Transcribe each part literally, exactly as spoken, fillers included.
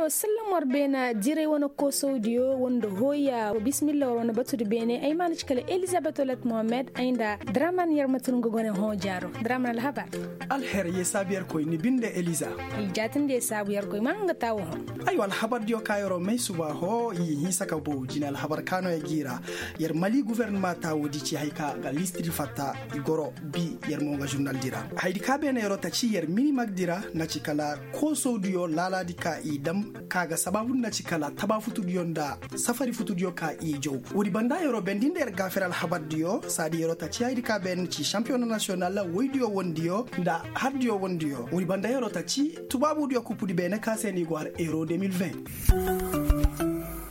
Sallam war beena diray wane koosawdiyo wanda hooya wa bismillah war wane batudi beene ay ma na ci kala elizabet olet mohammed ay nda draman yarmatin ga gone hõ jaaro. Draman alhabar. Alher ye saabu yarkoy ni binde eliza. Ay jaatindi ye saabu yarkoy ma nga taawo hõ. Aywa alhabardiyo ka yaroo may suba hõ i hinsa ka bow jine alhabar ka no ya g'i ra. Yar mali guvernama taawo di ci hay ka ga listidi fatta i goro bi yar mo nga žurnaldi ra. Haydi ka beene yaroo ta ci yar minimagdi ra na ci kala koosawdiyo laalaadi ka i dam ka ga sabaabu nda ci kala tabaafutudiyo nda safari futudiyo ka i jaw. Woodi banda yeroo bendi nda yer gaafir alhabardiyo saadi yeroo ta ci haydi ka ben ci šampiyona nasiyonal woydiyo wondiyo nda hardiyo wondiyo woodi banda yeroo ta ci tubaabudiyo kuppudi beene ka se ni go har euro deux mille vingt.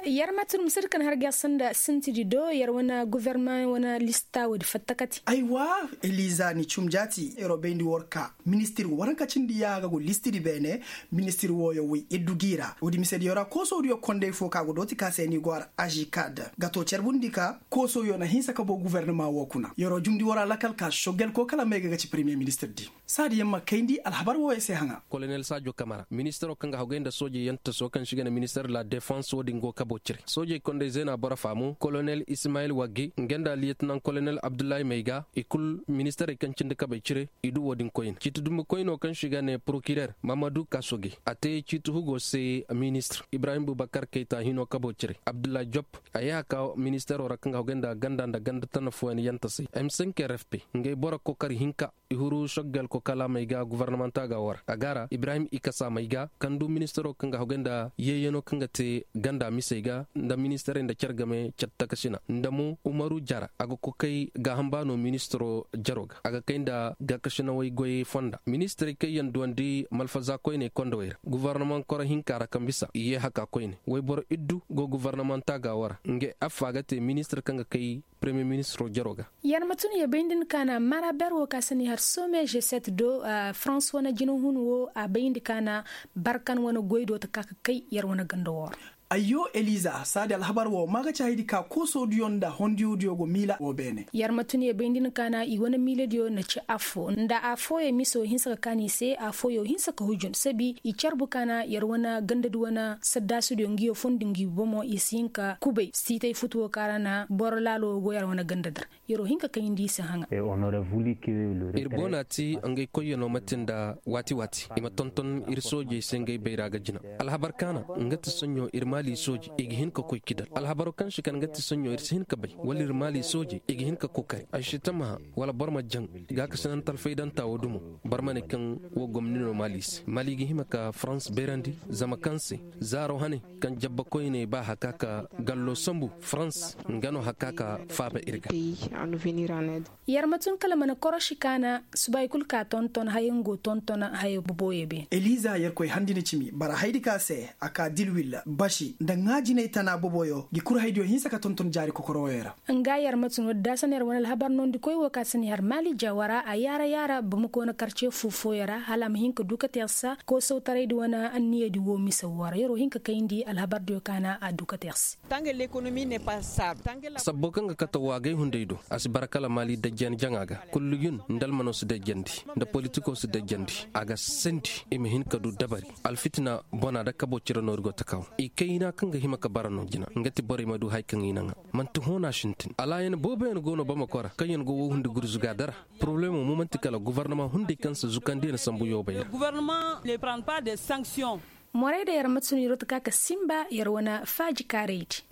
Yer ma tun misir kan har ger sanda sintidi do yer wane guverneman wane lista woodi fattakati. Aywa, eliza ni cum jaati yeroo bayndi war ka ministir waranka cindi ya ga go listidi beene. Ministir wooyo woy iddu gi ra woodi misediyo ra koosowdiyo konday fo ka go dooti ka se ni go har ažikad ga to carbundi ka koosowyo na hinsa ka bo guverneman woo kuna yeroo jumndi war alakal ka soggel ko kala may ga ga ci premiyer ministir di. Saadi yaŋ ma kayndi alhabar wooyo se haŋa. Kolonel saajo kamara ministiro kaŋ ga hagay nda soojey yaŋ taso kaŋ si ga ne ministir de la defans wo-din go kabo cire soojey konday zeena boro faamu kolonel ismayil wagge nga nda liyetinaŋ kolonel abdullahi mayga i kul ministirey kaŋ cindi kabey cire. I du wo-din koyne ciiti dumbukoyno kaŋ si ga ne porokirer mamadu kasoge a te ciiti hugo se ministir ibrahim bubakar kayta hino kabo cire abdullahi job a ye a ka ministiro ra kaŋ ga hagay nda ganda nda ganda tana fooyaŋ yaŋ tasay m cinq r f p ngey boro kokari hinka. I huru soggel ko kala may ga guvarnamanta ga war a ga ra ibrahim ikasa may ga kaŋ du ministiro kaŋ ga hagay nda yeeyano kaŋ ga te ganda misey ga nda ministirey nda care game care takasina nda mo umaru jara a ga kokay gaaham ba no ministiro jaro ga a ga kay nda gaakasinawey goyey fonda ministirey kaŋ yaŋ duwandi malfaza koyney kondowey ra guvarnaman koro hinka ra kaŋ bisa i ye haka koyne wayboro iddu go guvarnamanta ga war ngey affa ga te ministir kaŋ ga kay premiyer ministiro jaro ga. Yar ma tun ya bay nda ni kaana mara ber wo ka si ni har some g sept do farans wane jinahun wo a bay nda kaana barkan wane goy do ta ka ka kay yar wane ganda wo ra. Ayyo eliza saadi alhabar wo ma ga ci haydi ka koosodiyo nda hondiyodiyo go miila wo beene. Yar ma tun ya bay nda ni kaana i wane miiladiyo na ci affo nda affooyo miso hinsa ka kaani se affooyo hinsa ka hujun sabi i carbu kaana yar wane gandadi wane saddaasudiyo ngiyo fondi ngi bomo i si hin ka kubay siitay futu wo kaŋ a ra na boro laalo wo go yar wane gandadi ra. Yeroo hinka kayndi i si haŋa. Ir boona ti ngey koyyanoo mate nda waati waati i ma tonton ir soojey se ngey bayra ga jina. Alhabar kaana nga ti soɲɲo ir maali sooje i ga hin ka koy kidal alhabaro kaŋ si kan nga ti soɲɲo ir si hin ka bay wala ir maali sooje i ga hin ka kokari ay si tamaha wala boro ma jaŋ. Gaakasinante alfaydanta wo dumo boro ma ne kaŋ wo gomni no maali se maali ga hima ka farans bayrandi zama kaŋ se zaaro hane kaŋ jabba koyney ba haka ka gallo sambu farans nga no haka ka faaba ir ga. Yar ma tun kala mana koroši kaana subay kul ka tonton hayango tonton haya boboyo be. Eliza yar koy handina cimi bara haydi ka se a ka dilwil baši nda ŋaajinay tana boboyo gi kurhaydiyo hinsa ka tonton jaari kokorowoyo ra. Nga yar ma tun wadda daasana yar wane alhabar nondi koy wo ka sani har maali jawara a yaara yaara bamako na karce fo fooyo ra hala a ma hin ka du ka te yar sa koosawtaraydi wane anniyadi wo mise wo ra yar wo hin ka kayndi alhabardiyo kaana a du ka te yar se. Sabbo kaŋ ga kate waagay hunday do a si bara kala maali dajjan jaŋa ga. Kullu yun nda almano si dajjandi nda politiko si dajjandi a ga sandi i ma hin ka du dabari. Alfitina bona nda kabo cire no ir go ta kaw i kayna kaŋ ga hima ka bara no jina nga ti borey ma du hari kaŋ i naŋa. Manti hõ no a sintin alaayan booboyaŋ go no bamako ra kaŋ yaŋ go wo hundi gurzuga dara. Poroblemo mo manti kala guvarnama hunday kaŋ si zukandi yaŋ sambu yoobay ra. Morey da yar ma tun yaro ta ka ka simba yar wane faaji kaaraydi.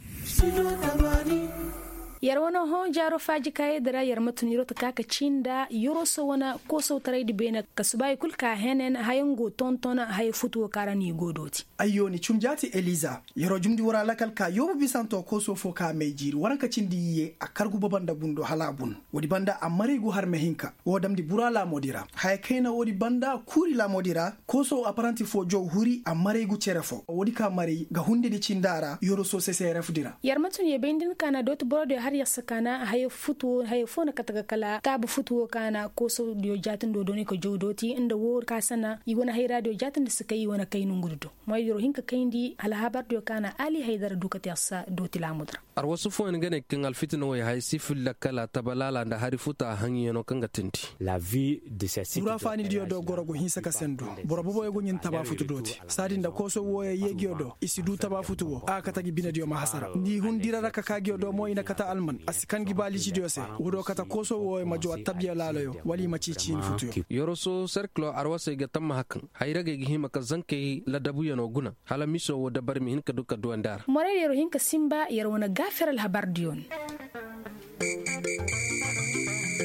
Yar wane hõ jaaro faaji kaaraydi ra yar ma tun yaro ta ka ka ci nda yaro so wane koosotaraydi beene ka subaayi kul ka henen hayango tonton haya futuwo kaara no i go dooti. Ayyo ni cum jaati eliza. Yaro jumndi wara lakal ka yoobu bisanto kooso fo ka may jiiri waranka cindi iyye a kargu baba nda bundo hala a bun. Woodi banda a maray gu harme hinka wo damndi bura laamoodi ra haya kayna woodi banda kuuri laamoodi ra. Kooso apparanti fo jow huri a maray gu cere fo woodi ka maray ga hundedi cinda ra yoro sose seerefdi ra. Yar ma tun ye bay nda ni kaana dooti borodiyo. Yassa kaana haya foo na kate ga kala taabu futu woo kaana koosodiyo jaatindoo dooni ka jaw dooti nda woo kaasana i wane hayraadiyo jaatindi si kay i wane kay nongudi do. Moydi yer hin ka kayndi alhabardiyo kaana ali haydara duu kate yassa dooti laamudi ra. Arwasu fooyaŋ ga ne kaŋ alfitina woy haya si filla kala tabalaala nda hari futa haŋyano kaŋ ga tindi. Wura faanidiyo do goro go hinsa ka sendu. Boro boboyo go ɲin tabaafutu dooti saadi nda kooso wooyo yeegiyo do i si duu tabaafutu woo a ga kate gi binediyo ma hasara nda i hun dira ra ka kaa giyo do mo i na kate alman a si kan gi ba lijidiyo se. Woodiyo kate kooso wooyo ma jaw attabiya laaloyo wala i ma cii ciini futuyo. Yoroso serkilo arwasey ga tamma hakaŋ hayragey ga hima ka zankey ladabuyano guna hala miso woo dabari ma hin ka duu ka duwandi a ra. Morey yer hin ka sinba yer wane gaafer alhabardiyo no.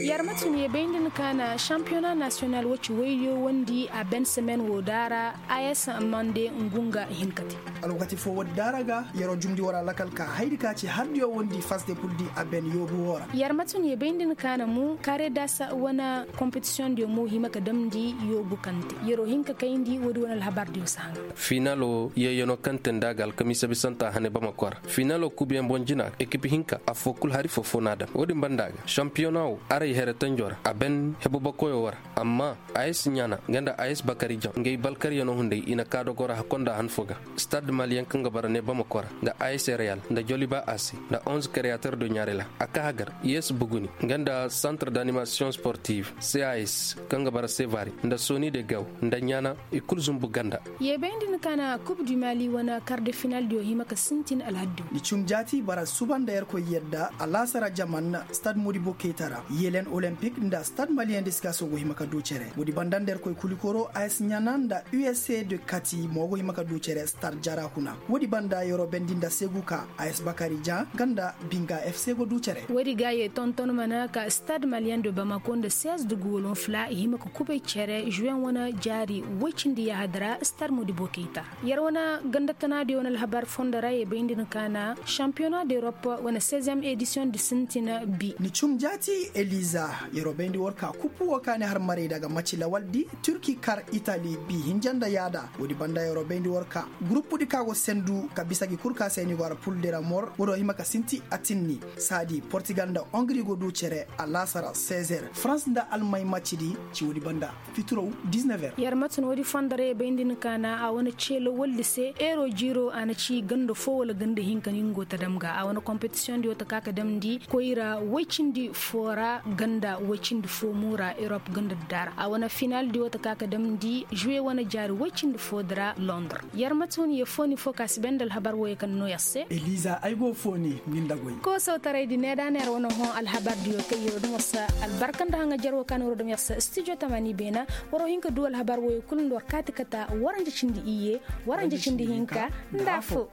Yer ma tun ye bay nda ni kaana šampiyona nasiyonal woci waydiyo wondi a ben semen woo daara. As mande ngu nga hin ka te. Alwakati foo woodi daara ga yeroo jumndi wara lakal ka haydi ka ci hardiyo wondi fas de puldi a ben yoobu woo ra. Yer ma tun ye bay nda ni kaana mu karedas wane kompetisiyoŋ diyo mo hima ka damndi yoobu kaŋ te yeroo hin ka kayndi woodi wane alhabar diyo si haŋa. Final woo yeeyanoo kaŋ te nda a ga alkamiisa bisanta hane bamako ra. Final woo kuubiyaŋ boŋ jina ekip hinka affoo kul hari foo foo n'a daŋ woodin banda ga šampiyona woo aray here tanjo ra a ben hebu bakoyo woo ra. Amma as ɲaana nga nda as bakari jaŋ ngey balkaryanoo hunday i na kaa dogoo ra hakkonda han foo ga. Stad maliyaŋ kaŋ ga bara ne bamako ra nda as reyal nda joliba ase nda onze kreyater do ɲaarela a kaa hagar yes buguni nga nda santre d'animasiyoŋ sportive cas kaŋ ga bara sevari nda soni de gaw nda ɲaana i kul zumbu ganda. Yeebayndi ni kaana kub du mali wane kar de finaldiyo hima ka sintin alhaddiyo. Ni cum jaati bara suba nda yerkoy yadda alaasara jaman stad modibo keyta ra yelen olempik nda stad maliyen diskaso go hima ka du cere woodi banda nda yerkoy kulikoro as ɲaana nda usa de kati mo go hima ka du cere stad jara kuna. Woodi banda yeroo bendi nda segu ka as bakari ja nga nda binga fc go du cere. Woodi ga ye tonton mana ka stad maliyen de bamako nda seize dugu wolon fula i hima ka kubay cere juwen wane jaari woy cindi yahadi ra stad modibo keyta ra. Yer wane ganda tanaadiyo wane alhabar fondo ra ye bayndi ni kaana šampiyona d'europe wane seizième edisiyoŋ di sintina bi. Ni cum jaati eliza yeroo bayndi war ka kuppu woo kaani har marayda ga maci lawaldi turki kar itali bi hinja nda yaada. Woodi banda yeroo bayndi war ka guruppudi ka go sendu ka bisa gi kul ka se ni go har pul de ra mor woodoo hima ka sinti atinni saadi portigal nda ongri go du cere alaasara seize heures farans nda almay macidi. Ci woodi banda fitiraw diz-neuf heures. Yer ma tun woodi fondo ra ye bayndi ni kaana a wane ceelo waldi se eero jiiro a na ci ganda foo wala ganda hinka ni nga go ta dam ga a wane kompetisiyoŋ diyo ta ka ka damndi koyra woy cindi foo ra ganda woy cindi foo mo ra erop ganda dara a wane final diyo ta ka ka damndi juwe wane jaari woy cindi foo di ra londres. Yer ma tun ye fooni foo ka si bay nda alhabar wooyo kaŋ no yer se. Eliza ay go fooni ni nda goy. Koosotaray di needa na yer wane hõ alhabar diyo kaŋ yeroo dum war sa albarka nda haŋajer woo ka na yeroo dum yer sa studio tamani beena. Waroo hin ka duu alhabar wooyo kul nda war kaati kata waranja cindi iyye waranja cindi hinka nda affoo.